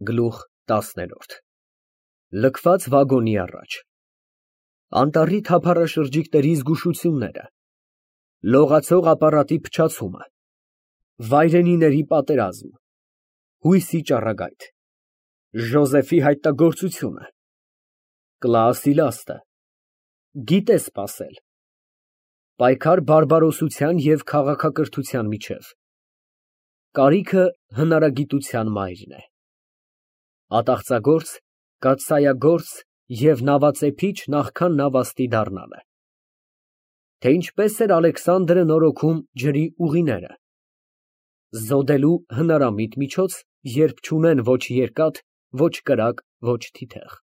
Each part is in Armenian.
Գլուխ 10 Լքված վագոնի առաջ Անտառի թափառաշրջիկների զգուշությունները, լողացող ապարատի փչացումը, վայրենիների պատերազմ, հույսի ճառագայթ, Ժոզեֆի հայտնագործությունը, Կլաասի լաստը, գիտե սպասել, պայքար բարբարոսության և քաղաքակրթության միջև, կարիքը հնարագիտության մայրն է, ատաղծագործ, կաթսայագործ և նավածեփիչ նախքան նավաստի դառնալը, թե ինչպես էր Ալեքսանդրը նորոգում ջրի ուղիները, զոդելու հնարամիտ միջոց, երբ չունեն ոչ երկաթ, ոչ կրակ, ոչ թիթեղ,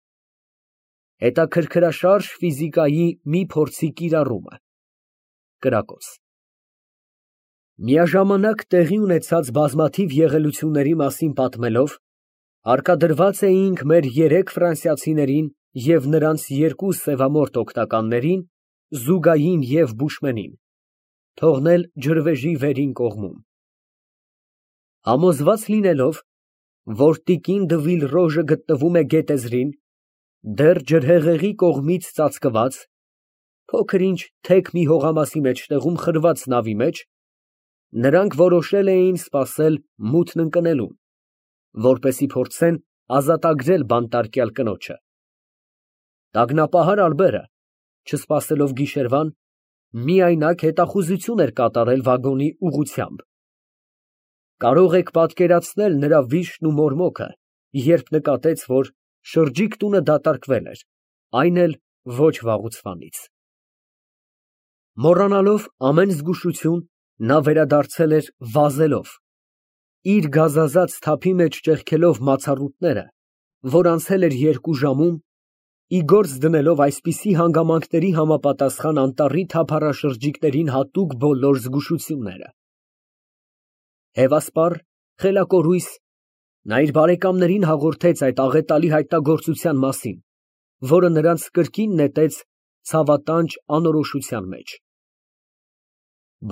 հետաքրքրաշարժ ֆիզիկայի մի փորձի կիրառումը, կրակոց, միաժամանակ տեղի ունեցած բազմաթիվ եղելությունների մասին պատմելով, հարկադրված էինք մեր 3 ֆրանսիացիներին և նրանց 2 սևամորթ օգնականներին, Զուգային և Բուշմենին, թողնել ջրվեժի վերին կողմում, համոզված լինելով, որ տիկին դը Վիլրոժը գտնվում է գետեզրին, դեռ ջրհեղեղի կողմից ծածկված, փոքր-ինչ թեք մի հողամասի մեջտեղում խրված նավի մեջ, նրանք որոշել էին սպասել մութն ընկնելուն, որպեսզի փորձեն ազատագրել բանտարկյալ կնոջը։ Տագնապահար Ալբերը, չսպասելով գիշերվան, միայնակ հետախուզություն էր կատարել վագոնի ուղղությամբ։ Կարող եք պատկերացնել նրա վիշտն ու մորմոքը, երբ նկատեց, որ շրջիկ տունը դատարկվել էր, այն էլ ոչ վաղուց։ Մոռանալով ամեն զգուշություն, նա վերադարձել էր վազելով, իր գազազած թափի մեջ ճեղքելով մացառուտները, որ անցել էր 2 ժամում, ի գործ դնելով այսպիսի հանգամանքների համապատասխան անտառի թափառաշրջիկներին հատուկ բոլոր զգուշությունները։ Հևասպառ, խելակորույս, նա իր բարեկամներին հաղորդեց այդ աղետալի հայտնագործության մասին, որը նրանց կրկին նետեց ցավատանջ անորոշության մեջ։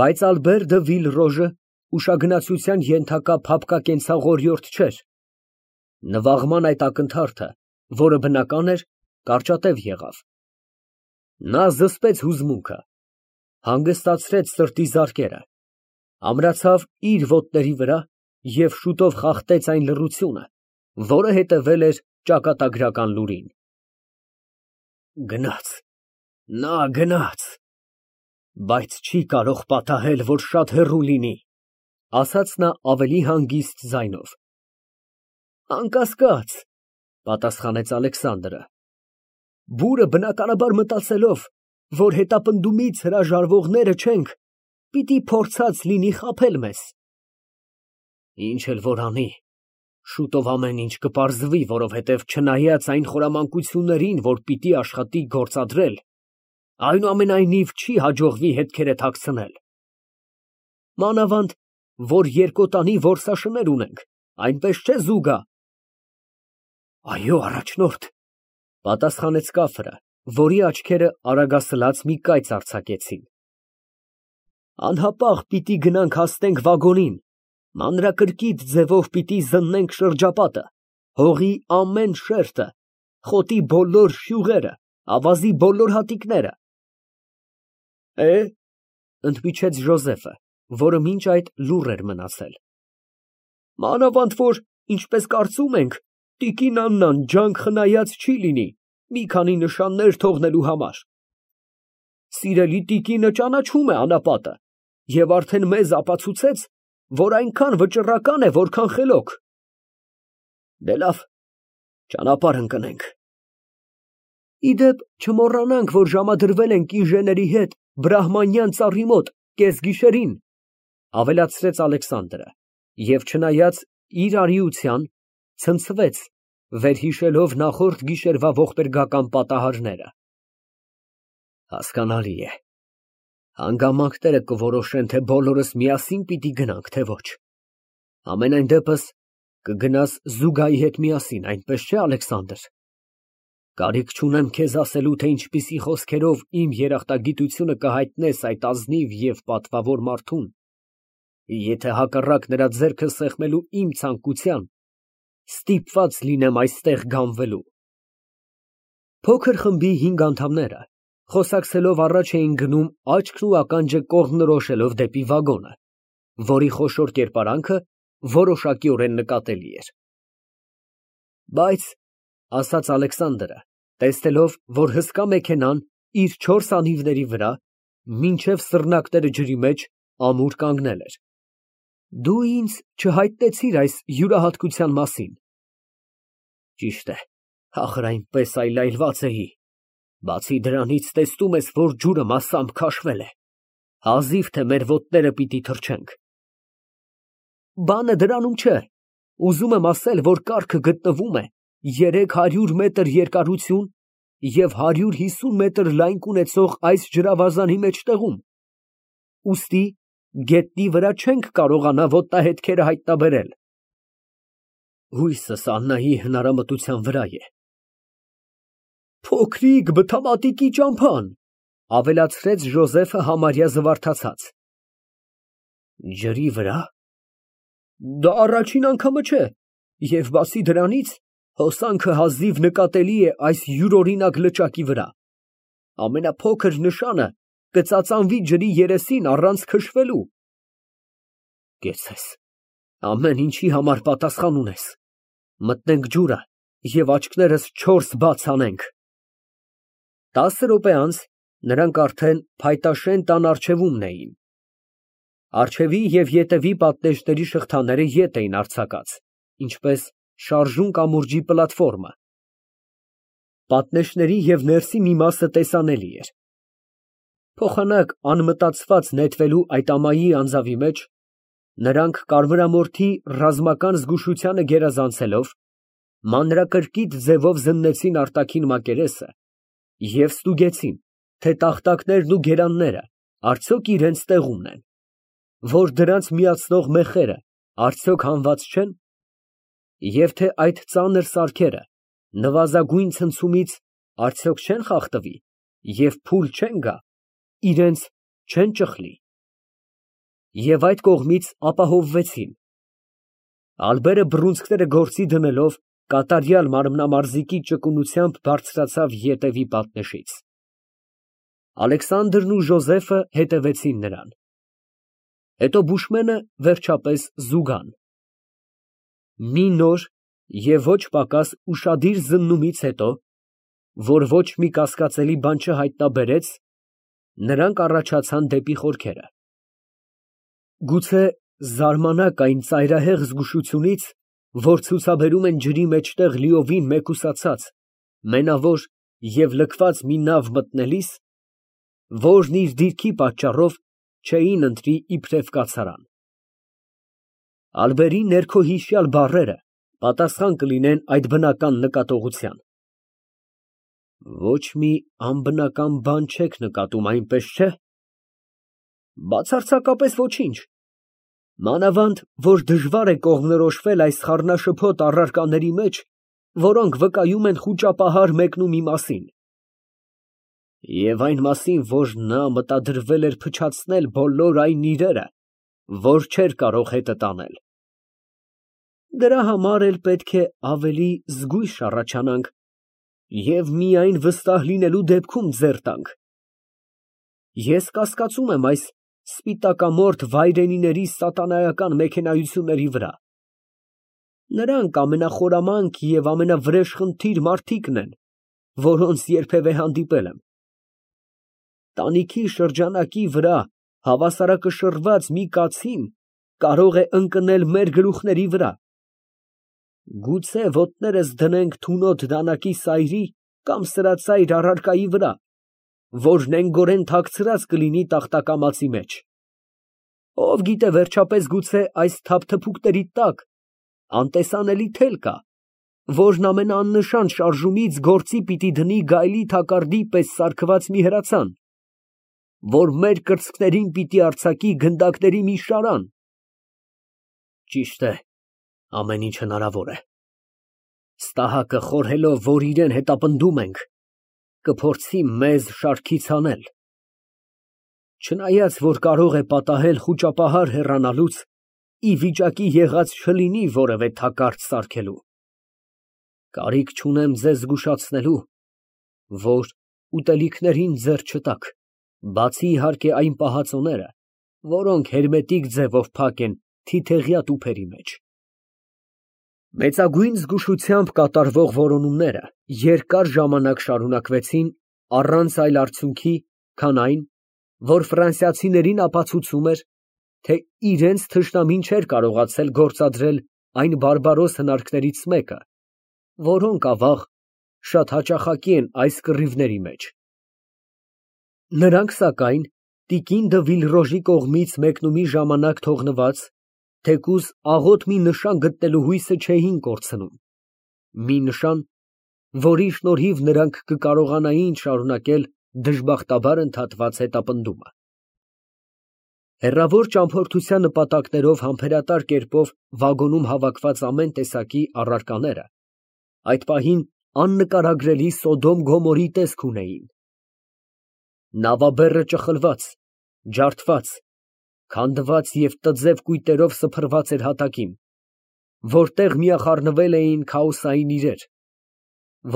Բայց Ալբեր դը Վիլրոժը ուշագնացության ենթակա փափկակենցաղորիորդ չէր։ Նվաղման այդ ակնթարթը, որը բնական էր, կարճատև եղավ։ Նա զսպեց հուզմունքը, հանգստացրեց սրտի զարկերը, ամրացավ իր ոտների վրա և շուտով խախտեց այն լռությունը, որը հետևել էր ճակատագրական լուրին։ Գնաց, նա գնաց, բայց չի կարող պատահել, որ շատ հեռու լինի, ասաց նա ավելի հանգիստ ձայնով։ Անկասկած, պատասխանեց Ալեքսանդրը, բուրը բնականաբար մտածելով, որ հետապնդումից հրաժարվողները չենք, պիտի փորձած լինի խաբել մեզ։ Ինչ էլ որ անի, շուտով ամեն ինչ կպարզվի, որովհետև չնայած այն խորամանկություններին, որ պիտի աշխատի գործադրել, այնուամենայնիվ չի հաջողվի հետքերը թաքցնել։ Մանավանդ, որ երկոտանի որսաշներ ունենք, այնպես չէ Զուգա։ Այո, առաջնորդ, պատասխանեց Կաֆրը, որի աչքերը արագասլաց մի կայծ արձակեցին։ Անհապաղ պիտի գնանք հասնենք վագոնին, մանրակրկիտ ձևով պիտի զննենք շրջապատը, հողի ամեն շերտը, խոտի բոլոր շյուղերը, ավազի բոլոր հատիկները։ Ընդմիջեց Ժոզեֆը, որը մինչ այդ լուռ էր մնացել։ Մանավանդ որ, ինչպես կարծում ենք, տիկին Աննան ջանք խնայած չի լինի, մի քանի նշաններ թողնելու համար։ Սիրելի տիկինը ճանաչում է անապատը և արդեն մեզ ապացուցեց, որ այնքան վճռական է, որքան խելոք։ Դե լավ, ճանապարհ ընկնենք։ Իդեպ, չմոռանանք, որ ժամադրվել ենք ինժեների հետ բրահմանյան ծառի մոտ կեսգիշերին, ավելացրեց Ալեքսանդրը, և չնայած իր արիության, ցնցվեց, վերհիշելով նախորդ գիշերվա ողբերգական պատահարները։ Հասկանալի է, հանգամանքները կորոշեն, թե բոլորս միասին պիտի գնանք, թե ոչ։ Համենայն դեպս կգնաս Զուգայի հետ միասին, այնպես չէ, Ալեքսանդր։ Կարիք չունեմ քեզ ասելու, թե ինչպիսի խոսքերով իմ երախտագիտությունը կհայտնես այդ ազնիվ և պատվավոր մարդուն, եթե հակառակ նրա ձեռքը սեղմելու իմ ցանկության, Ստիպված լինեմ այստեղ գանվելու։ Փոքր խմբի 5 անդամները խոսակցելով առաջ էին գնում աչքն ու ականջը կողմնորոշելով դեպի վագոնը, որի խոշոր կերպարանքը որոշակիորեն նկատելի էր։ Բայց, ասաց Ալեքսանդրը, տեսնելով, որ հսկա մեքենան իր 4 անիվների վրա, մինչև սռնակները ջրի մեջ, ամուր կանգնել էր, դու ինձ չհայտնեցիր այս յուրահատկության մասին։ Ճիշտ է, ախր այնպես այլայլված էի։ Բացի դրանից տեսնում ես, որ ջուրը մասամբ քաշվել է։ Հազիվ թե մեր ոտները պիտի թռչենք։ Բանը դրանում չէ։ Ուզում եմ ասել, որ կառքը գտնվում է 300 մետր երկարություն և 150 մետր լայնք ունեցող այս ջրավազանի մեջտեղում։ Ուստի գետնի վրա չենք կարողանա ոտնահետքերը հայտնաբերել։ Հույսս Աննայի հնարամտության վրա է։ Փոքրիկ բթամատիկի ճամփան, ավելացրեց Ժոզեֆը համարյա զվարթացած։ Ջրի վրա։ Դա առաջին անգամը չէ, և բացի դրանից, հոսանքը հազիվ նկատելի է այս յուրօրինակ լճակի վրա։ Ամենափոքր նշանը կծածանվի ջրի երեսին առանց քշվելու։ Կեցցես, ամեն ինչի համար պատասխան ունես։ Մտնենք ջուրը և աչքներս 4 բաց անենք։ 10 րոպե անց նրանք արդեն փայտաշեն տան առջևումն էին։ Առջևի և ետևի պատնեշների շղթաները ետ էին արձակած, ինչպես շարժուն կամուրջի պլատֆորմը։ Պատնեշների և ներսի մի մասը տեսանելի էր։ Փոխանակ անմտածված նետվելու այդ ամայի անձավի մեջ, նրանք կարմրամորթի ռազմական զգուշությանը գերազանցելով, մանրակրկիտ ձևով զննեցին արտաքին մակերեսը և ստուգեցին, թե տախտակներն ու գերանները արդյոք իրենց տեղումն են, որ դրանց միացնող մեխերը արդյոք հանված չեն, և թե այդ ծանր սարքերը նվազագույն ցնցումից արդյոք չեն խախտվի և փուլ չեն գա, իրենց չեն ճխլի։ Եվ այդ կողմից ապահովվեցին։ Ալբերը բռունցքները գործի դնելով կատարյալ մարմնամարզիկի ճկունությամբ բարձրացավ ետևի պատնեշից։ Ալեքսանդրն ու Ժոզեֆը հետևեցին նրան։ Հետո բուշմենը վերջապես զուգան։ Մի նոր և ոչ պակաս ուշադիր զննումից հետո, որ ոչ մի կասկածելի բան չհայտնաբերեց, նրանք առաջացան դեպի խորքերը։ Գուցե զարմանաք այն ծայրահեղ զգուշությունից, որ ցուցաբերում են ջրի մեջտեղ լիովին մեկուսացած, մենավոր և լքված մի նավ մտնելիս, որն իր դիրքի պատճառով չէին ընտրի իբրև կացարան։ Ալբերի ներքոհիշյալ բառերը պատասխան կլինեն այդ բնական նկատողության։ Ոչ մի անբնական բան չեք նկատում, այնպես չէ։ Բացարձակապես ոչինչ։ Մանավանդ, որ դժվար է կողմնորոշվել այս խառնաշփոթ առարկաների մեջ, որոնք վկայում են խուճապահար մեկնումի մասին։ Եվ այն մասին, որ նա մտադրվել էր փչացնել բոլոր այն իրերը, որ չէր կարող հետը տանել։ Դրա համար էլ պետք է ավելի զգույշ առաջանանք և միայն վստահ լինելու դեպքում ձեռ տանք։ Ես կասկածում եմ այս սպիտակամորթ վայրենիների սատանայական մեքենայությունների վրա։ Նրանք ամենախորամանկ և ամենավրեժխնդիր մարդիկն են, որոնց երբևէ հանդիպել եմ։ Տանիքի շրջանակի վրա հավասարակշռված մի կացին կարող է ընկնել մեր գլուխների վրա։ Գուցե ոտներս դնենք թունոտ դանակի սայրի կամ սրածայր առարկայի վրա, որ նենգորեն թաքցրած կլինի տախտակամածի մեջ։ Ով գիտե, վերջապես գուցե այս թափթփուկների տակ անտեսանելի թել կա, որն ամենաաննշան շարժումից գործի պիտի դնի գայլի թակարդի պես սարքված մի հրացան, որ մեր կրծքներին պիտի արձակի գնդակների մի շարան։ Ճիշտ է, ամեն ինչ հնարավոր է։ Ստահակը խորհելով, որ իրան հետապնդում ենք, կփորձի մեզ շարքից հանել։ Չնայած, որ կարող է պատահել խուճապահար հեռանալուց, ի վիճակի եղած չլինի որևէ թակարդ սարքելու։ Կարիք չունեմ ձեզ զգուշացնելու, որ ուտելիքներին ձեռ չտաք, բացի իհարկե այն պահածոները, որոնք հերմետիկ ձևով փակ են թիթեղյա տուփերի մեջ։ Մեծագույն զգուշությամբ կատարվող որոնումները երկար ժամանակ շարունակվեցին առանց այլ արդյունքի, քան այն, որ ֆրանսիացիներին ապացուցում էր, թե իրենց թշնամին չէր կարողացել գործադրել այն բարբարոս հնարքներից մեկը, որոնք ավաղ շատ հաճախակի են այս կռիվների մեջ։ Նրանք, սակայն, տիկին դը Վիլրոժի կողմից մեկնումի ժամանակ թողնված, թեկուզ աղոտ մի նշան գտնելու հույսը չէին կորցնում, մի նշան, որի շնորհիվ նրանք կկարողանային շարունակել դժբախտաբար ընդհատված հետապնդումը։ Հեռավոր ճամփորդության նպատակներով համբերատար կերպով վագոնում հավաքված ամեն տեսակի առարկաները այդ պահին աննկարագրելի Սոդոմ Գոմորի տեսք ունեին։ Նավաբեռը ճխլված, ջարդված, քանդված և տձև կույտերով սփռված էր հատակին, որտեղ միախառնվել էին քաոսային իրեր,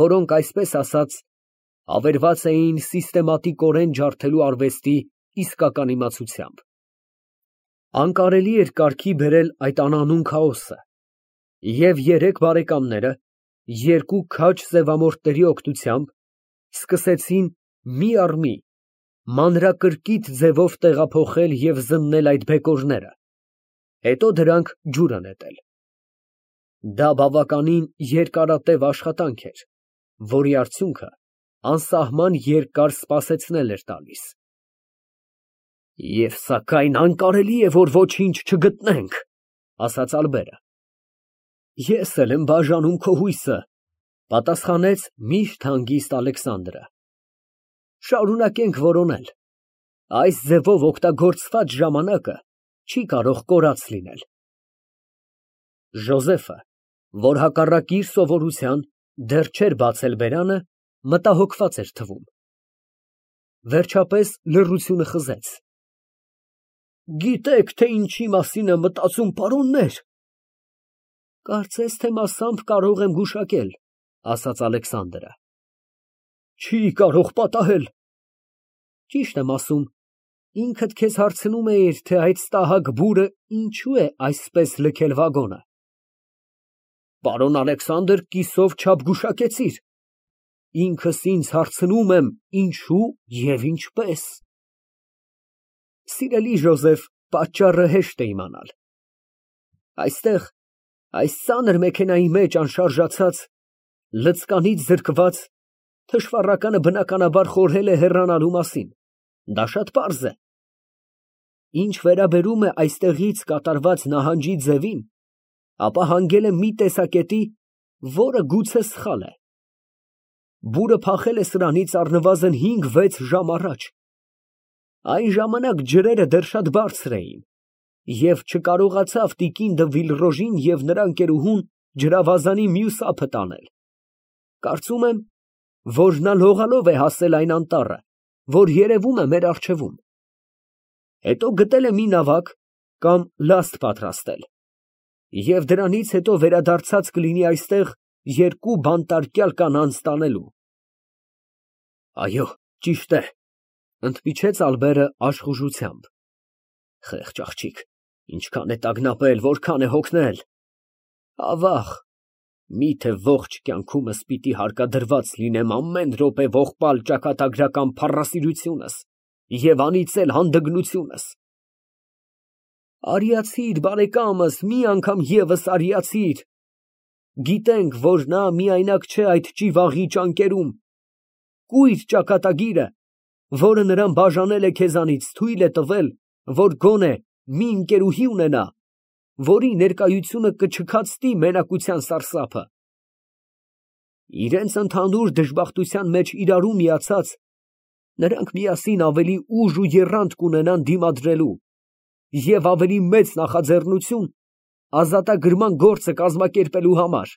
որոնք, այսպես ասած, ավերված էին սիստեմատիկորեն ջարդելու արվեստի իսկական իմացությամբ։ Անկարելի էր կարգի բերել այդ անանուն քաոսը, և երեք բարեկամները երկու քաջ սևամորթների օգնությամբ սկսեցին մի առ մի մանրակրկիտ ձևով տեղափոխել և զննել այդ բեկորները, հետո դրանք ջուրը նետել։ Դա բավականին երկարատև աշխատանք էր, որի արդյունքը անսահման երկար սպասեցնել էր տալիս։ Եվ սակայն անկարելի է, որ ոչինչ չգտնենք, ասաց Ալբերը։ Ես էլ եմ բաժանում քո հույսը, պատասխանեց միշտ հանգիստ Ալեքսանդրը։ Շարունակենք որոնել։ Այս ձևով օգտագործված ժամանակը չի կարող կորած լինել։ Ժոզեֆը, որ հակառակ իր սովորության դեռ չէր բացել բերանը, մտահոգված էր թվում։ Վերջապես լռությունը խզեց։ Գիտեք, թե ինչի մասին եմ մտածում, պարոններ։ Կարծես թե մասամբ կարող եմ գուշակել, ասաց Ալեքսանդրը։ Չի կարող պատահել։ Ճիշտ եմ ասում, ինքդ քեզ հարցնում էիր, թե այդ ստահակ բուրը ինչու է այսպես լքել վագոնը։ Պարոն Ալեքսանդր, կիսով չափ գուշակեցիր։ Ինքս ինձ հարցնում եմ, ինչու և ինչպես։ Սիրելի Ժոզեֆ, պատճառը հեշտ է իմանալ։ Այստեղ, այս ծանր մեքենայի մեջ անշարժացած, լծկանից զրկված, թշվառականը բնականաբար խորհել է հեռանալու մասին։ Դա շատ պարզ է։ Ինչ վերաբերում է այստեղից կատարված նահանջի ձևին, ապա հանգել է մի տեսակետի, որը գուցե սխալ է։ Բուրը փախել է սրանից առնվազն 5-6 ժամ առաջ։ Այն ժամանակ ջրերը դեռ շատ բարձր էին, և չկարողացավ տիկին դը Վիլրոժին և նրա ընկերուհուն ջրավազանի մյուս ափը տանել։ Կարծում եմ, որ նա լողալով է հասել այն անտառը, որ երևում է մեր առջևում։ Հետո գտել է մի նավակ կամ լաստ պատրաստել, և դրանից հետո վերադարձած կլինի այստեղ երկու բանտարկյալ կանանց տանելու։ Այո, ճիշտ է, ընդմիջեց Ալբերը աշխուժությամբ։ Խեղճ աղջիկ, ինչքան է տագնապել, որքան է հոգնել։ Ավաղ, միթե ողջ կյանքումս պիտի հարկադրված լինեմ ամեն րոպե ողբալ ճակատագրական փառասիրությունս և անիծել հանդգնությունս։ Արիացիր, բարեկամս, մի անգամ ևս արիացիր։ Գիտենք, որ նա միայնակ չէ այդ ճիվաղի ճանկերում։ Կույր ճակատագիրը, որը նրան բաժանել է քեզանից, թույլ է տվել, որ գոնե մի ընկերուհի ունենա, որի ներկայությունը կչքացնի մենակության սարսափը։ Իրենց ընդհանուր դժբախտության մեջ իրարու միացած, նրանք միասին ավելի ուժ ու եռանդ կունենան դիմադրելու և ավելի մեծ նախաձեռնություն ազատագրման գործը կազմակերպելու համար։